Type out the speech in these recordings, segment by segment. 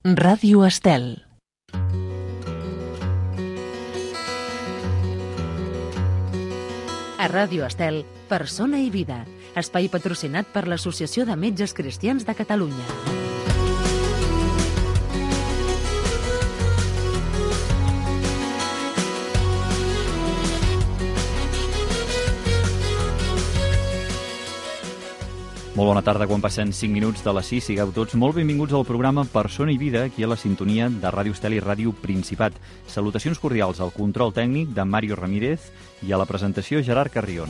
Ràdio Estel. A Ràdio Estel, Persona i Vida, espai patrocinat per l'Associació de Metges Cristians de Catalunya. Molt bona tarda, quan passen 5 minuts de les 6, sigueu tots molt benvinguts al programa Persona i Vida, aquí a la sintonia de Ràdio Estel i Ràdio Principat. Salutacions cordials al control tècnic de Mario Ramírez i a la presentació Gerard Carrion.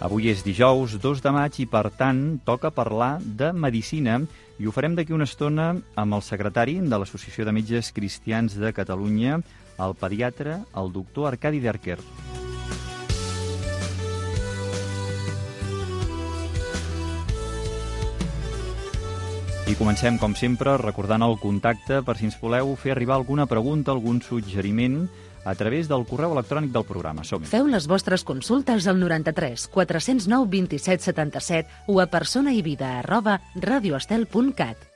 Avui és dijous 2 de maig i, per tant, toca parlar de medicina i ho farem d'aquí una estona amb el secretari de l'Associació de Metges Cristians de Catalunya, el pediatre, el doctor Arcadi Derker. I comencem, com sempre, recordant el contacte per si ens voleu fer arribar alguna pregunta, algun suggeriment a través del correu electrònic del programa. Som-hi. Feu les vostres consultes al 93 409 27 77 o a personaivida@radioestel.cat.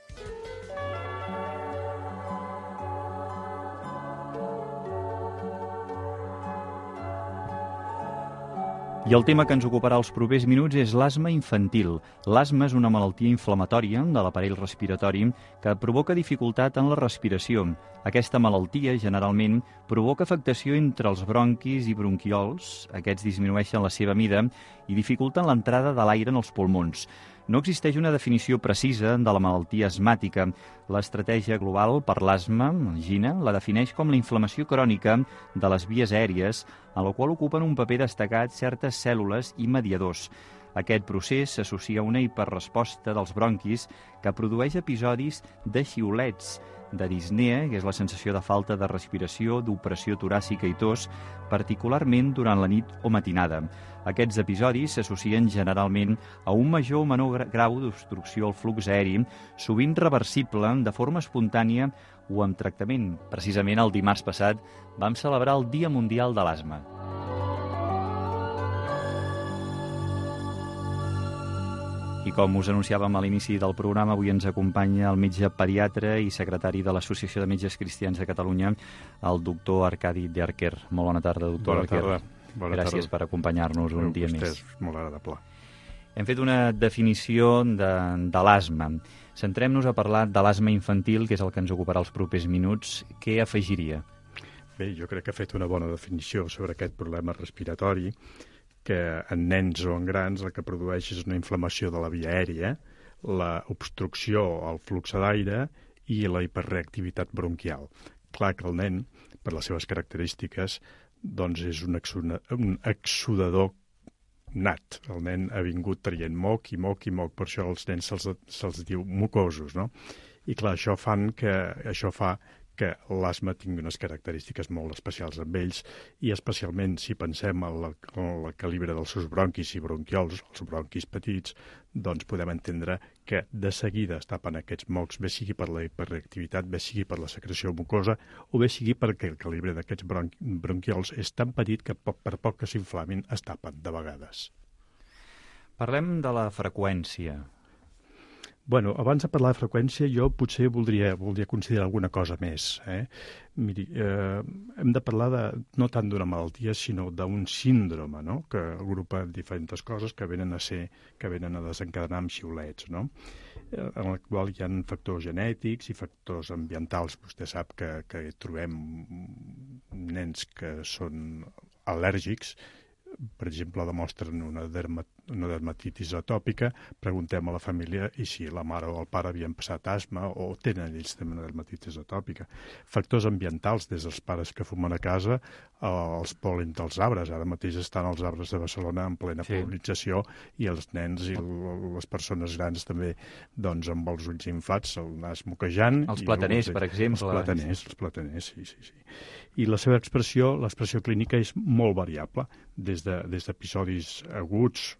I el tema que ens ocuparà els propers minuts és l'asma infantil. L'asma és una malaltia inflamatòria de l'aparell respiratori que provoca dificultat en la respiració. Aquesta malaltia, generalment, provoca afectació entre els bronquis i bronquiols. Aquests disminueixen la seva mida i dificulten l'entrada de l'aire en els pulmons. No existeix una definició precisa de la malaltia asmàtica. L'estratègia global per l'asma, GINA, la defineix com la inflamació crònica de les vies aèries, en la qual ocupen un paper destacat certes cèl·lules i mediadors. Aquest procés s'associa a una hiperresposta dels bronquis que produeix episodis de xiulets, de disnea, que és la sensació de falta de respiració, d'opressió toràcica i tos, particularment durant la nit o matinada. Aquests episodis s'associen generalment a un major o menor grau d'obstrucció al flux aeri, sovint reversible de forma espontània o amb tractament. Precisament el dimarts passat vam celebrar el Dia Mundial de l'Asma. I com us anunciàvem a l'inici del programa, avui ens acompanya el metge pediatre i secretari de l'Associació de Metges Cristians de Catalunya, el doctor Arcadi Derker. Molt bona tarda, doctor Derker. Bona tarda. Gràcies per acompanyar-nos un dia més. És molt agradable. Hem fet una definició de l'asma. Centrem-nos a parlar de l'asma infantil, que és el que ens ocuparà els propers minuts. Què afegiria? Bé, jo crec que ha fet una bona definició sobre aquest problema respiratori, que en nens o en grans el que produeix és una inflamació de la via aèria, la obstrucció al flux d'aire i la hiperreactivitat bronquial. Clar que el nen, per les seves característiques, doncs és un exsudador nat. El nen ha vingut traient moc i moc i moc, per això als nens se'ls diu mucosos, no? I clar, això fa que l'asma tingui unes característiques molt especials amb ells, i especialment si pensem en el calibre dels seus bronquis i bronquiols, els bronquis petits, doncs podem entendre que de seguida es tapen aquests mocs, bé sigui per la hiperreactivitat, bé sigui per la secreció mucosa, o bé sigui perquè el calibre d'aquests bronquiols és tan petit que per poc que s'inflamin es tapen de vegades. Parlem de la freqüència. Bueno, abans de parlar de freqüència, jo potser voldria considerar alguna cosa més. Miri, hem de parlar no tant d'una malaltia, sinó d'un síndrome, no?, que agrupa diferents coses que venen a desencadenar amb xiulets, no?, en el qual hi ha factors genètics i factors ambientals. Vostè sap que trobem nens que són al·lèrgics, per exemple, demostren una dermatitis atòpica, preguntem a la família i si la mare o el pare havien passat asma o tenen ells també una dermatitis atòpica. Factors ambientals, des dels pares que fumen a casa, els pol·len dels arbres. Ara mateix estan els arbres de Barcelona en plena pol·linització i els nens i les persones grans també, doncs, amb els ulls inflats, el nas moquejant. Els plataners, per exemple. Els plataners, sí. I la seva l'expressió clínica és molt variable, des d'episodis aguts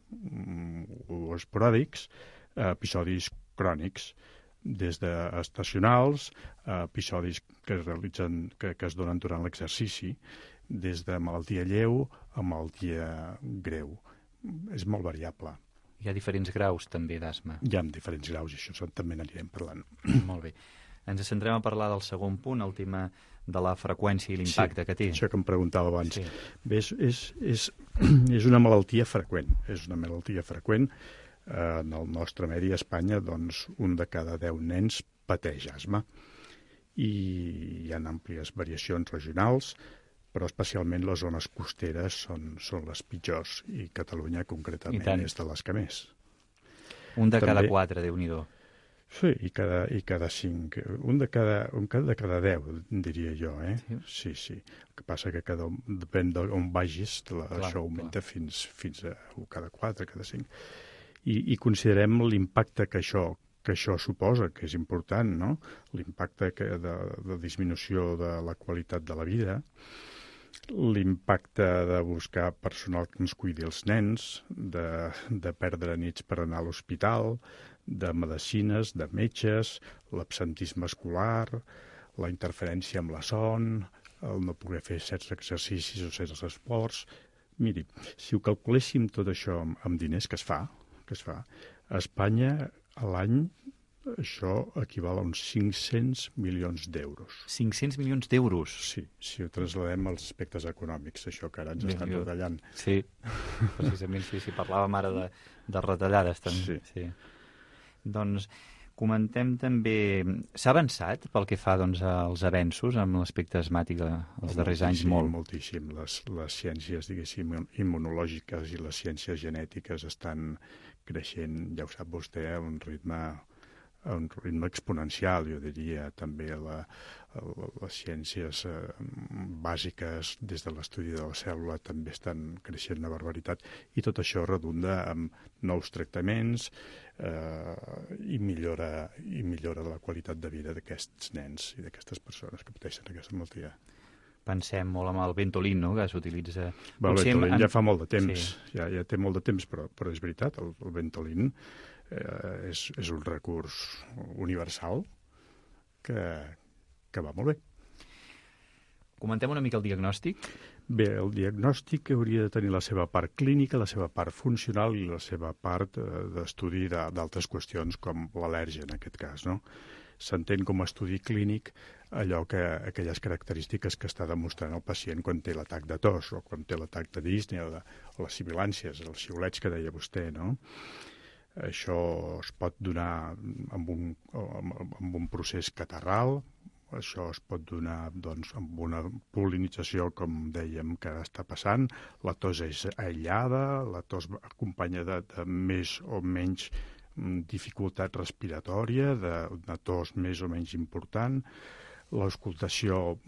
o esporàdics a episodis crònics, des d'estacionals a episodis que es donen durant l'exercici. des de malaltia lleu a malaltia greu. És molt variable. Hi ha diferents graus, també, d'asma. Hi ha diferents graus, i això també n'anirem parlant. Molt bé. Ens centrem a parlar del segon punt, el tema de la freqüència i l'impacte que té. Això que em preguntava abans. Sí. Bé, és una malaltia freqüent. És una malaltia freqüent. En el nostre medi a Espanya, doncs, un de cada 10 nens pateix asma. I hi ha àmplies variacions regionals, però especialment les zones costeres són les pitjors, i Catalunya concretament és de les que més. Un de cada 4, Déu-n'hi-do. Sí, i cada 5. Un de cada 10, diria jo, eh? Sí. El que passa que depèn d'on vagis, això augmenta fins a cada 4, cada 5. I considerem l'impacte que això suposa, que és important, no? L'impacte de disminució de la qualitat de la vida, l'impacte de buscar personal que ens cuidi els nens, de perdre nits per anar a l'hospital, de medicines, de metges, l'absentisme escolar, la interferència amb la son, el no poder fer certs exercicis o certs esports. Miri, si ho calculéssim tot això amb diners que es fa, a Espanya a l'any això equival a uns 500 milions d'euros. 500 milions d'euros? Sí, si ho trasladem als aspectes econòmics, això que ara ens estan retallant. Sí, precisament, sí, parlàvem ara de retallades també. Sí. Doncs comentem també... S'ha avançat pel que fa als avenços amb l'aspecte asmàtic els darrers anys? Moltíssim. Les ciències, diguéssim, immunològiques i les ciències genètiques estan creixent, ja ho sap vostè, a un ritme exponencial, jo diria. També les ciències bàsiques des de l'estudi de la cèl·lula també estan creixent una barbaritat, i tot això redunda en nous tractaments i millora la qualitat de vida d'aquests nens i d'aquestes persones que pateixen aquesta malaltia. Pensem molt en el Ventolin, no?, que s'utilitza... El Ventolin ja fa molt de temps, ja té molt de temps, però és veritat, el Ventolin és un recurs universal que va molt bé. Comentem una mica el diagnòstic. Bé, el diagnòstic hauria de tenir la seva part clínica, la seva part funcional i la seva part d'estudi d'altres qüestions, com l'al·lèrgia, en aquest cas, no? S'entén com a estudi clínic aquelles característiques que està demostrant el pacient quan té l'atac de tos, o quan té l'atac de Disney, o les sibilàncies, els xiulets que deia vostè, no? Això es pot donar amb un procés catarral, això es pot donar amb una pol·linització, com dèiem, que està passant. La tos és aïllada, la tos acompanya de més o menys dificultat respiratòria, de tos més o menys important. L'auscultació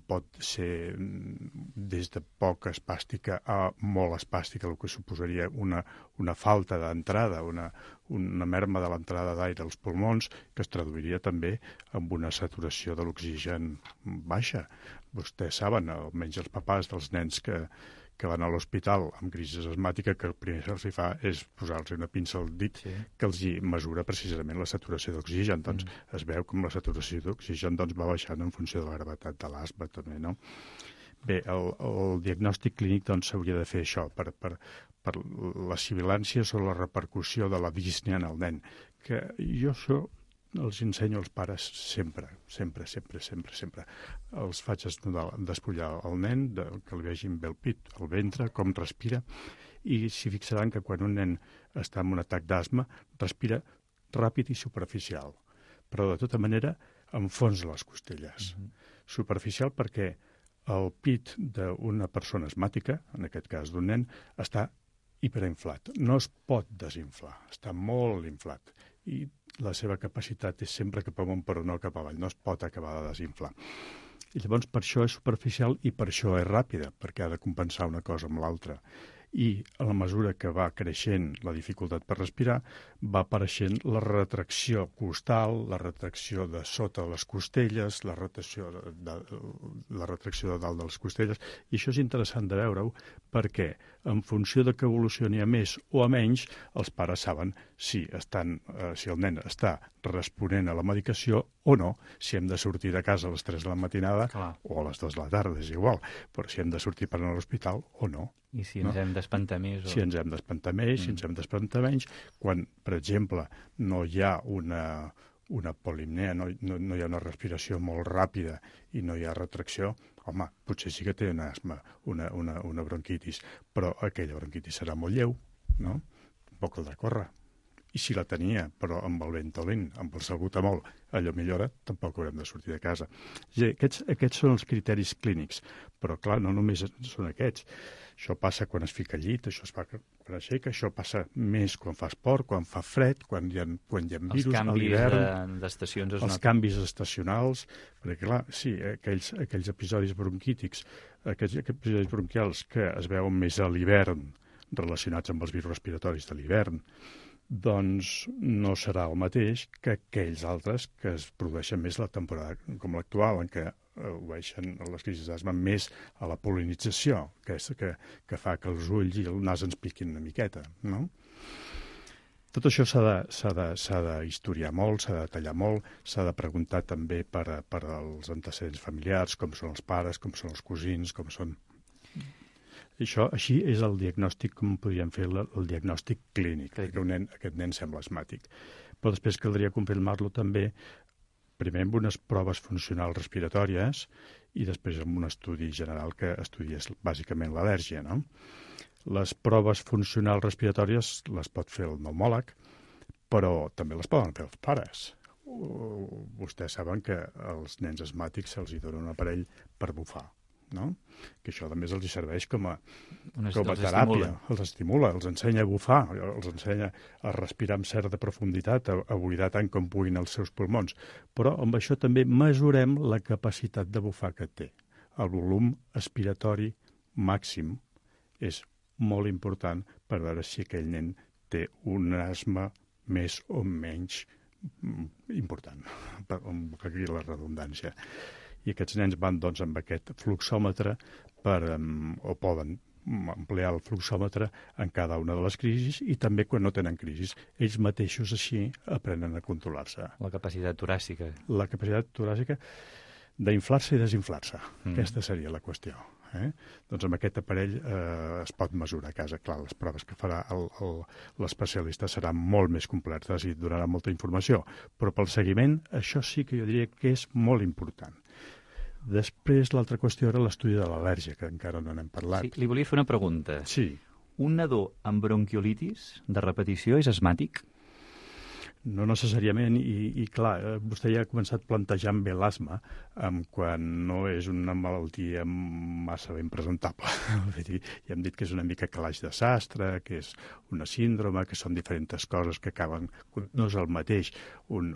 pot ser des de poc espàstica a molt espàstica, el que suposaria una falta d'entrada, una merma de l'entrada d'aire als pulmons, que es traduiria també amb una saturació de l'oxigen baixa. Vostès saben, almenys els papàs dels nens que van a l'hospital amb crisi asmàtica, que el primer que els fa és posar-los una pinça al dit que els mesura precisament la saturació d'oxigen. Doncs es veu com la saturació d'oxigen va baixant en funció de la gravetat de l'asma també, no? Bé, el diagnòstic clínic s'hauria de fer això, per les sibilàncies o la repercussió de la dísnia en el nen, que jo això els ensenyo als pares sempre. Els faig despullar el nen, que li vegin bé el pit, el ventre, com respira, i s'hi fixaran que quan un nen està en un atac d'asma, respira ràpid i superficial, però de tota manera enfonsa les costelles. Superficial perquè el pit d'una persona asmàtica, en aquest cas d'un nen, està hiperinflat. No es pot desinflar, està molt inflat. I la seva capacitat és sempre cap amunt però no cap avall, no es pot acabar de desinflar. I llavors per això és superficial i per això és ràpida, perquè ha de compensar una cosa amb l'altra. I a la mesura que va creixent la dificultat per respirar, va apareixent la retracció costal, la retracció de sota les costelles, la retracció de dalt de les costelles, i això és interessant de veure-ho perquè en funció de que evolucioni a més o a menys, els pares saben si el nen està responent a la medicació o no, si hem de sortir de casa a les 3 de la matinada o a les 2 de la tarda, és igual, però si hem de sortir per anar a l'hospital o no. I si ens hem d'espantar més? Si ens hem d'espantar més, si ens hem d'espantar menys, quan, per exemple, no hi ha una polimnea, no hi ha una respiració molt ràpida i no hi ha retracció, home, potser sí que té un asma, una bronquitis, però aquella bronquitis serà molt lleu, no? Poc caldrà córrer. I si la tenia, però amb el Ventolin, amb el salbutamol, allò millora, tampoc haurem de sortir de casa. Aquests són els criteris clínics, però clar, no només són aquests. Això passa quan es fica al llit, això es fa quan aixeca, això passa més quan fa esport, quan fa fred, quan hi ha virus a l'hivern. Els canvis d'estacions els canvis estacionals, perquè clar, sí, aquells episodis bronquítics, aquells episodis bronquials que es veuen més a l'hivern, relacionats amb els virus respiratoris de l'hivern, doncs no serà el mateix que aquells altres que es produeixen més la temporada com l'actual, en què obeeixen les crisis d'asma més a la pol·linització, que fa que els ulls i el nas ens piquin una miqueta, no? Tot això s'ha de historiar molt, s'ha de detallar molt, s'ha de preguntar també per als antecedents familiars, com són els pares, com són els cosins, com són... Això, així és el diagnòstic, com podríem fer el diagnòstic clínic, que aquest nen sembla asmàtic. Però després caldria confirmar-lo també, primer amb unes proves funcionals respiratòries i després amb un estudi general que estudiés bàsicament l'al·lèrgia, no? Les proves funcionals respiratòries les pot fer el pneumòleg, però també les poden fer els pares. Vostès saben que als nens asmàtics se'ls dona un aparell per bufar, no? Que això a més els serveix com a teràpia, els estimula, els ensenya a bufar, els ensenya a respirar amb certa profunditat, a buidar tant com puguin els seus pulmons, però amb això també mesurem la capacitat de bufar que té. El volum aspiratori màxim és molt important per veure si aquell nen té un asma més o menys important, que aquí la redundància. I aquests nens van doncs amb aquest fluxòmetre o poden emplear el fluxòmetre en cada una de les crisis i també quan no tenen crisis. Ells mateixos així aprenen a controlar-se. La capacitat toràcica. La capacitat toràcica d'inflar-se i desinflar-se. Aquesta seria la qüestió. Doncs amb aquest aparell es pot mesurar a casa. Clar, les proves que farà l'especialista seran molt més completes i donarà molta informació. Però pel seguiment, això sí que jo diria que és molt important. Després, l'altra qüestió era l'estudi de l'al·lèrgia, que encara no n'hem parlat. Sí, li volia fer una pregunta. Sí. Un nadó amb bronquiolitis de repetició és asmàtic? No necessàriament, i clar, vostè ja ha començat plantejant bé l'asma quan no és una malaltia massa ben presentable. Ja hem dit que és una mica calaix de sastre, que és una síndrome, que són diferents coses que acaben... No és el mateix un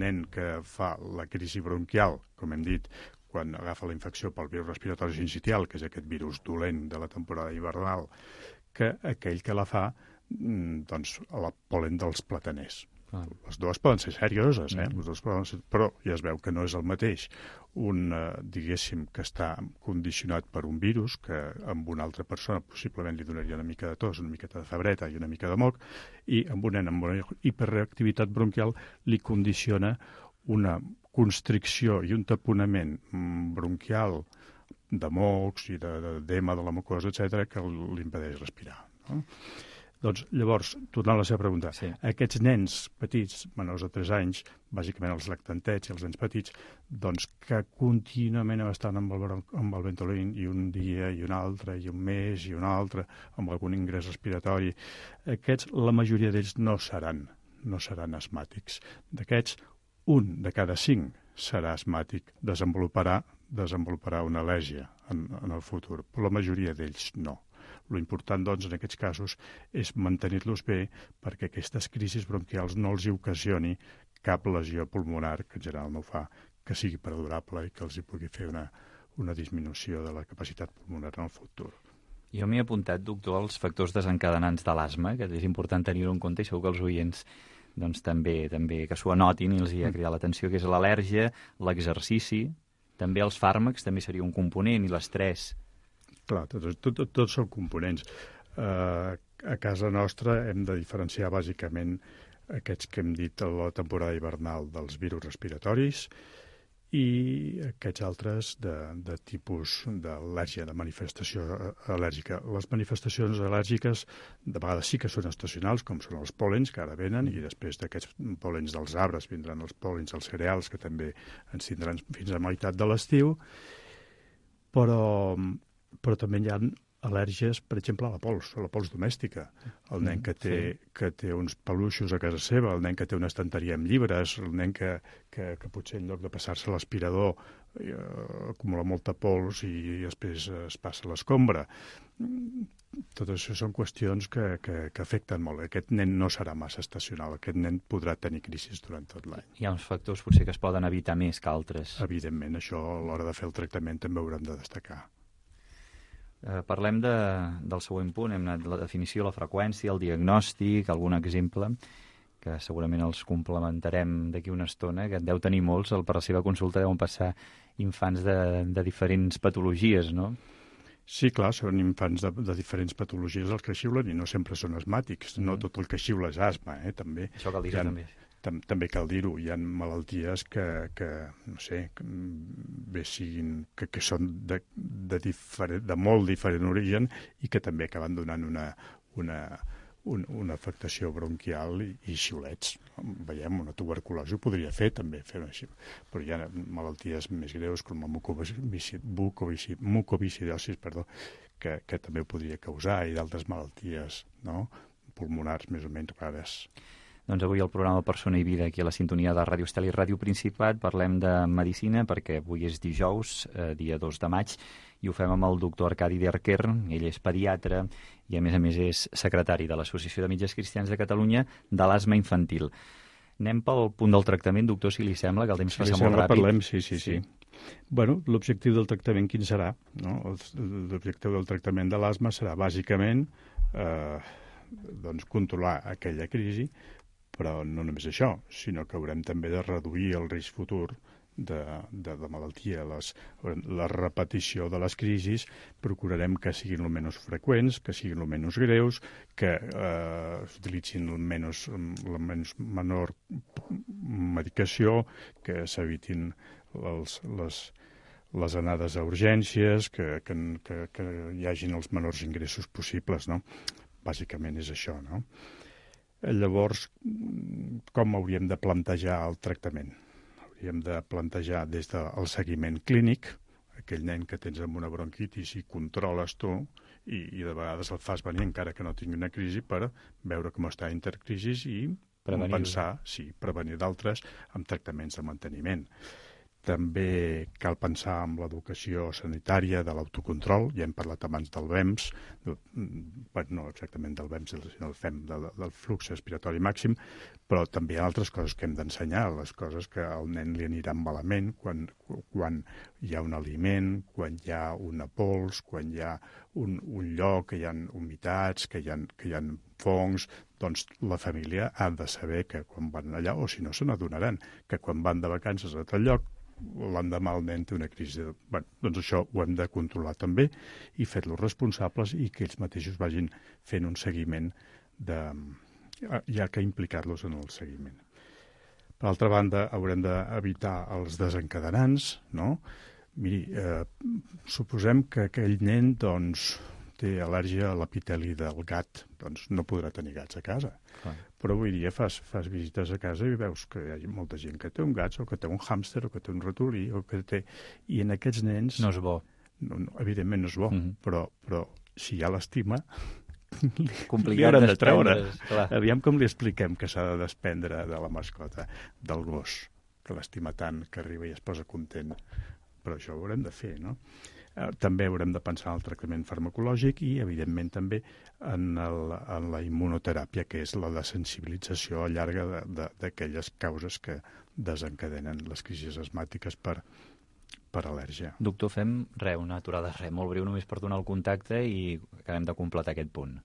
nen que fa la crisi bronquial, com hem dit, quan agafa la infecció pel virus respiratori sincitial, que és aquest virus dolent de la temporada hivernal, que aquell que la fa doncs, a la pol·len dels plataners. Les dues poden ser serioses, les dues poden ser... però ja es veu que no és el mateix diguéssim, que està condicionat per un virus que amb una altra persona possiblement li donaria una mica de tos, una miqueta de febreta i una mica de moc, i amb un nen amb una hiperreactivitat bronquial li condiciona una constricció i un taponament bronquial de mocs i d'edema de la mucosa, etc., que li impedeix respirar, no? Doncs, llavors, tornant a la seva pregunta, sí. Aquests nens petits, menors de 3 anys, bàsicament els lactantets i els nens petits, doncs que contínuament estan amb el Ventolin i un dia i un altre, i un mes i un altre, amb algun ingrés respiratori, aquests, la majoria d'ells no seran asmàtics. D'aquests, 1 de cada 5 serà asmàtic, desenvoluparà una al·lèrgia en el futur, però la majoria d'ells no. L'important, doncs, en aquests casos és mantenir-los bé perquè aquestes crisis bronquials no els hi ocasioni cap lesió pulmonar, que en general no fa, que sigui perdurable i que els hi pugui fer una disminució de la capacitat pulmonar en el futur. Jo m'he apuntat, doctor, als factors desencadenants de l'asma, que és important tenir-ho en compte i segur que els oients doncs, també que s'ho anotin i els hi ha cridat l'atenció, que és l'al·lèrgia, l'exercici, també els fàrmacs, també seria un component, i l'estrès. Clar, tots són components. A casa nostra hem de diferenciar bàsicament aquests que hem dit a la temporada hivernal dels virus respiratoris i aquests altres de tipus d'al·lèrgia, de manifestació al·lèrgica. Les manifestacions al·lèrgiques de vegades sí que són estacionals, com són els pòlens, que ara venen, i després d'aquests pòlens dels arbres vindran els pòlens dels cereals, que també ens tindran fins a meitat de l'estiu, però també hi ha al·lèrgies, per exemple, a la pols domèstica. El nen que té uns peluixos a casa seva, el nen que té una estanteria amb llibres, el nen que potser en lloc de passar-se l'aspirador acumula molta pols i després es passa l'escombra. Tot això són qüestions que afecten molt. Aquest nen no serà massa estacional, aquest nen podrà tenir crisis durant tot l'any. Hi ha uns factors potser que es poden evitar més que altres. Evidentment, això a l'hora de fer el tractament també ho haurem de destacar. Parlem del següent punt, hem anat la definició, la freqüència, el diagnòstic, algun exemple, que segurament els complementarem d'aquí una estona, que deu tenir molts, per la seva consulta deuen passar infants de diferents patologies, no? Sí, clar, són infants de diferents patologies els que xiulen i no sempre són asmàtics. No tot el que xiula és asma, també. Això cal dir-ho també. També cal dir-ho, hi ha malalties que no sé, bé siguin, que són de molt diferent origen i que també acaben donant una afectació bronquial i xiulets. Veiem, una tuberculosi ho podria fer també, però hi ha malalties més greus com la mucoviscidosi, que també ho podria causar, i d'altres malalties pulmonars més o menys rares. Doncs avui al programa Persona i Vida, aquí a la sintonia de Ràdio Estel i Ràdio Principat, parlem de medicina, perquè avui és dijous, dia 2 de maig, i ho fem amb el doctor Arcadi Derquer. Ell és pediatre i, a més, és secretari de l'Associació de Metges Cristians de Catalunya de l'asma infantil. Anem pel punt del tractament, doctor, si li sembla, que el temps passa molt ràpid. Parlem, sí. Bueno, l'objectiu del tractament quin serà? L'objectiu del tractament de l'asma serà bàsicament controlar aquella crisi, però no només això, sinó que haurem també de reduir el risc futur de malaltia. La repetició de les crisis procurarem que siguin el menys freqüents, que siguin el menys greus, que s'utilitzin la menor medicació, que s'evitin les anades a urgències, que hi hagin els menors ingressos possibles, no? Bàsicament és això, no? Llavors, com hauríem de plantejar el tractament? Hauríem de plantejar des del seguiment clínic, aquell nen que tens amb una bronquitis i controles tu, i de vegades el fas venir encara que no tingui una crisi per veure com està intercrisis i prevenir d'altres amb tractaments de manteniment. També cal pensar en l'educació sanitària de l'autocontrol. Ja hem parlat abans del VEMS, no exactament del VEMS, sinó del flux respiratori màxim, però també hi ha altres coses que hem d'ensenyar, les coses que al nen li aniran malament quan hi ha un aliment, quan hi ha una pols, quan hi ha un lloc, que hi ha humitats, que hi ha fongs. Doncs la família ha de saber que quan van allà, o si no se n'adonaran, que quan van de vacances a tal lloc, l'endemà el nen té una crisi. Doncs això ho hem de controlar també i fer-los responsables i que ells mateixos vagin fent un seguiment, ja que implicar-los en el seguiment. Per altra banda, haurem d'evitar els desencadenants, no? Miri, suposem que aquell nen, té al·lèrgia a l'epiteli del gat, doncs no podrà tenir gats a casa. Però avui dia fas visites a casa i veus que hi ha molta gent que té un gat, o que té un hàmster, o que té un ratolí, o que té... I en aquests nens... No és bo. Evidentment no és bo, però si hi ha l'estima, li haurem de treure. Aviam com li expliquem que s'ha de desprendre de la mascota, del gos, que l'estima tant, que arriba i es posa content. Però això ho haurem de fer, no? També haurem de pensar en el tractament farmacològic i, evidentment, també en la immunoteràpia, que és la desensibilització llarga d'aquelles causes que desencadenen les crisis asmàtiques per al·lèrgia. Doctor, fem una aturada molt breu només per donar el contacte i acabem de completar aquest punt.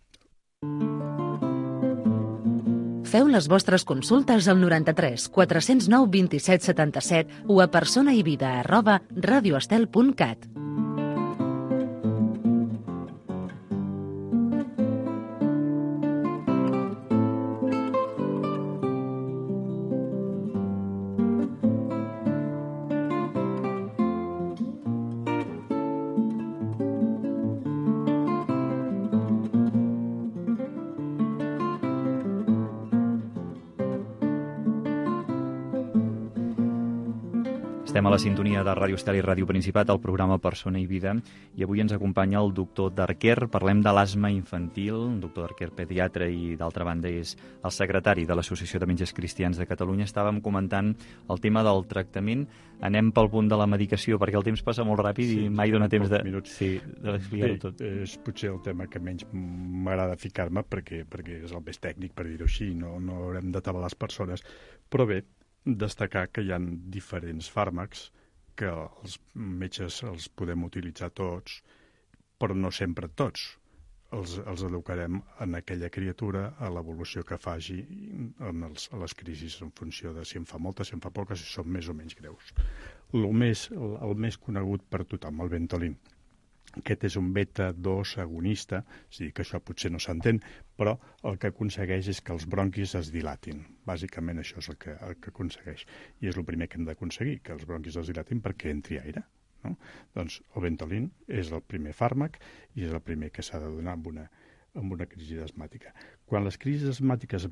Feu les vostres consultes al 93 409 27 77 o a personaivida@radioestel.cat. Estem a la sintonia de Ràdio Estel i Ràdio Principat, al programa Persona i Vida, i avui ens acompanya el doctor Darquer. Parlem de l'asma infantil. El doctor Darquer, pediatre, i d'altra banda és el secretari de l'Associació de Metges Cristians de Catalunya. Estàvem comentant el tema del tractament. Anem pel punt de la medicació, perquè el temps passa molt ràpid i mai dona temps d'explicar-ho tot. És potser el tema que menys m'agrada ficar-me, perquè és el més tècnic, per dir-ho així, no haurem d'atabalar les persones. Però bé, destacar que hi ha diferents fàrmacs que els metges els podem utilitzar tots, però no sempre tots. Els educarem en aquella criatura a l'evolució que faci a les crisis en funció de si en fa moltes, si en fa poques, si són més o menys greus. El més conegut per tothom, el Ventolin. Aquest és un beta-2 agonista, és a dir, que això potser no s'entén, però el que aconsegueix és que els bronquis es dilatin. Bàsicament això és el que aconsegueix. I és el primer que hem d'aconseguir, que els bronquis es dilatin perquè entri aire. No? Doncs el Ventolin és el primer fàrmac i és el primer que s'ha de donar en una crisi asmàtica. Quan les crisis asmàtiques es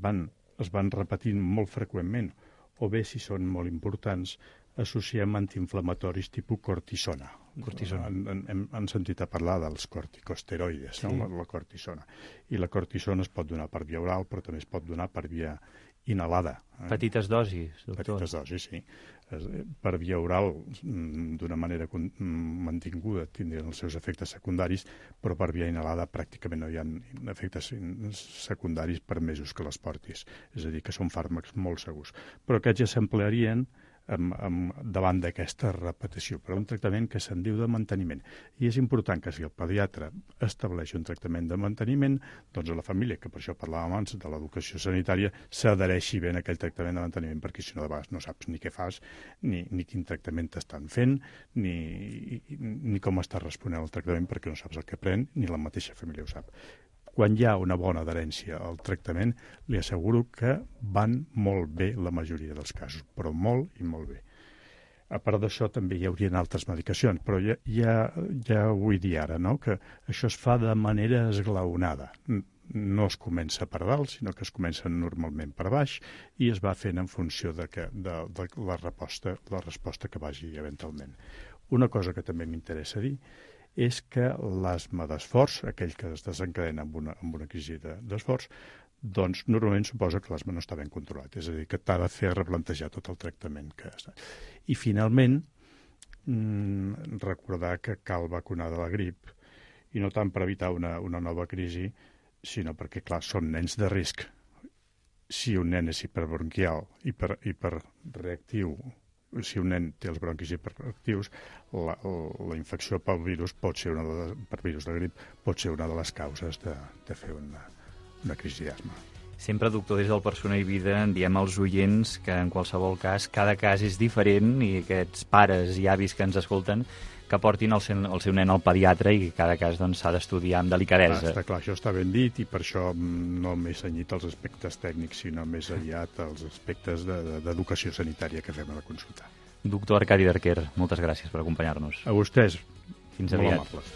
van repetint molt freqüentment, o bé si són molt importants, associem antiinflamatoris tipus cortisona. Hem sentit a parlar dels corticosteroides, no? La cortisona. I la cortisona es pot donar per via oral, però també es pot donar per via inhalada. Petites dosis, doctor. Petites dosis, sí. Per via oral, d'una manera mantinguda, tindrien els seus efectes secundaris, però per via inhalada pràcticament no hi ha efectes secundaris per mesos que les portis. És a dir, que són fàrmacs molt segurs. Però aquests ja s'emplearien davant d'aquesta repetició, per un tractament que se'n diu de manteniment. I és important que si el pediatre estableix un tractament de manteniment, doncs a la família, que per això parlàvem abans de l'educació sanitària, s'adhereixi bé a aquell tractament de manteniment, perquè si no de vegades no saps ni què fas, ni quin tractament t'estan fent, ni com està responent al tractament, perquè no saps el que pren, ni la mateixa família ho sap. Quan hi ha una bona adherència al tractament, li asseguro que van molt bé la majoria dels casos, però molt i molt bé. A part d'això, també hi haurien altres medicacions, però ja vull dir ara, no?, que això es fa de manera esglaonada. No es comença per dalt, sinó que es comença normalment per baix i es va fent en funció de la resposta que vagi eventualment. Una cosa que també m'interessa dir és que l'asma d'esforç, aquell que es desencadena amb una crisi d'esforç, doncs normalment suposa que l'asma no està ben controlat, és a dir, que t'ha de fer replantejar tot el tractament que està. I finalment, recordar que cal vacunar de la grip, i no tant per evitar una nova crisi, sinó perquè, clar, són nens de risc. Si un nen és hiperbronquial, hiperreactiu, si un nen té els bronquis hiperactius, la infecció pel virus per virus de grip pot ser una de les causes de fer una crisi d'asma. Sempre, doctor, des del Persona i Vida en diem als oients que en qualsevol cas, cada cas és diferent i aquests pares i avis que ens escolten que portin el seu nen al pediatre i cada cas s'ha d'estudiar amb delicadesa. Està clar, això està ben dit i per això no m'he cenyit als aspectes tècnics, sinó més aviat als aspectes d'educació sanitària que fem a la consulta. Doctor Arcadi Darquer, moltes gràcies per acompanyar-nos. A vostès. Fins aviat. Molt amables.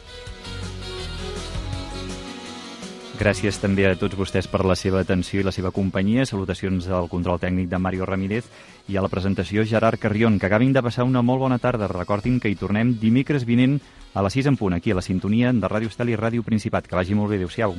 Gràcies també a tots vostès per la seva atenció i la seva companyia. Salutacions al control tècnic de Mario Ramírez i a la presentació Gerard Carrion. Que acabin de passar una molt bona tarda. Recordin que hi tornem dimecres vinent a les 6 en punt, aquí a la sintonia de Ràdio Estel i Ràdio Principat. Que vagi molt bé. Adéu-siau.